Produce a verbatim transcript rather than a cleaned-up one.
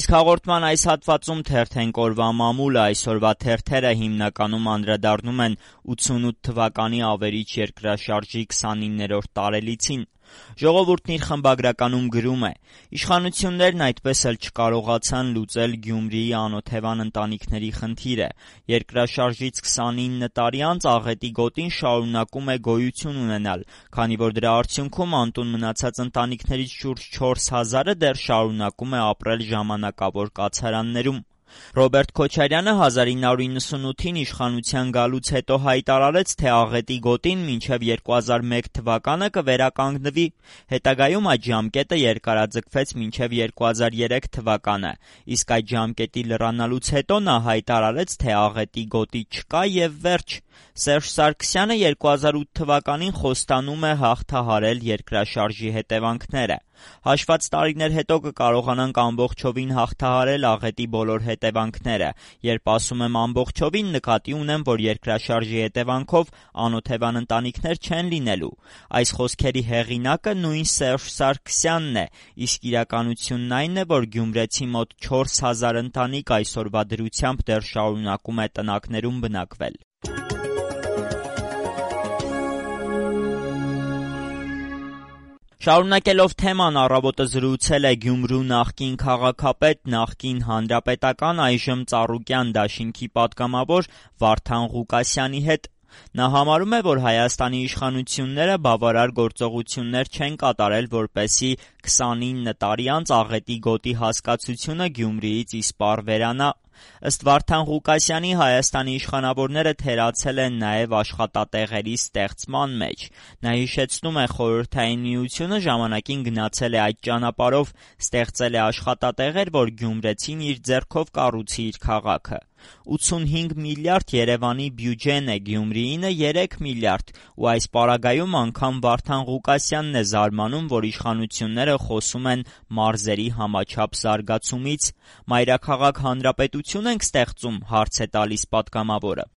Իսկ հաղորդման այս հատվածում թերթենք օրվա մամուլը, այսօրվա թերթերը հիմնականում անդրադառնում են ութսունութ թվականի ավերիչ երկրաշարժի քսանիններորդ տարելիցին։ Ժողովուրդն իր խմբագրականում գրում է. «Իշխանություններն այդպես էլ չկարողացան լուծել Գյումրիի անօթևան ընտանիքների խնդիրը։ Երկրաշարժից քսանինը տարի անց աղետի գոտին շարունակում է գոյություն ունենալ, քանի որ դրա արդյունքում անտուն մնացած ընտանիքներից շուրջ չորս հազարը դեռ շարունակում է ապրել ժամանակավոր կացարաններում»։ Ռոբերտ Քոչարյանը հազար ինը հարյուր իննսունութին իշխանության գալուց հետո հայտարարեց, թե աղետի գոտին մինչև երկու հազար մեկ թվականը կվերականգնվի։ Հետագայում այդ ժամկետը երկարաձգվեց մինչև երկու հազար երեք թվականը, իսկ այդ ժամկետի լրանալուց հետո նա հայտարարեց, թե աղետի գոտի չկա եւ վերջ։ Սերժ Սարգսյանը երկու հազար ութ թվականին խոստանում է հաղթահարել երկրաշարժի հետևանքները։ Հաշված տարիներ հետո կկարողանանք ամբողջովին հաղթահարել աղետի բոլոր հետևանքները։ Երբ ասում եմ ամբողջովին, նկատի ունեմ, որ երկրաշարժի հետևանքով անօթևան ընտանիքներ չեն լինելու։ Այս խոսքերի հեղինակը նույն Սերժ Սարգսյանն է, իսկ իրականությունն այն է, որ գյումրեցի մոտ չորս հազար ընտանիք այսօրվա դրությամբ դեռ շարունակում է տնակներում բնակվել։ Շարունակելով թեման, Առավոտը զրուցել է Գյումրու նախկին քաղաքապետ, նախկին հանրապետական, այժմ Ծառուկյան դաշինքի պատգամավոր Վարդան Ղուկասյանի հետ։ Նա համարում է, որ Հայաստանի իշխանությունները բավարար գործողություններ չեն կատարել, որպեսզի քսանինը տարի անց աղետի գոտի հասկացությունը Գյումրիից իսպառ վերանա։ Ըստ Վարդան Ղուկասյանի, Հայաստանի իշխանավորները թերացել են նաև աշխատատեղերի ստեղծման մեջ։ Նա հիշեցնում է, Խորհրդային Միությունը ժամանակին գնացել է այդ ճանապարհով, ստեղծել է աշխատատեղեր, որ գյումրեցին իր ձեռքով կառուցի իր քաղաքը։ ութսունհինգ միլիարդ Երևանի բյուջեն է, Գյումրիինը երեք միլիարդ, ու այս պարագայում անգամ Վարդան Ղուկասյանն է զարմանում, որ իշխանությունները խոսում են մարզերի համաչափ զարգացումից։ Մայրաքաղաք հանրապետություն ենք ստեղծում, հարց է տալիս պատգամավորը։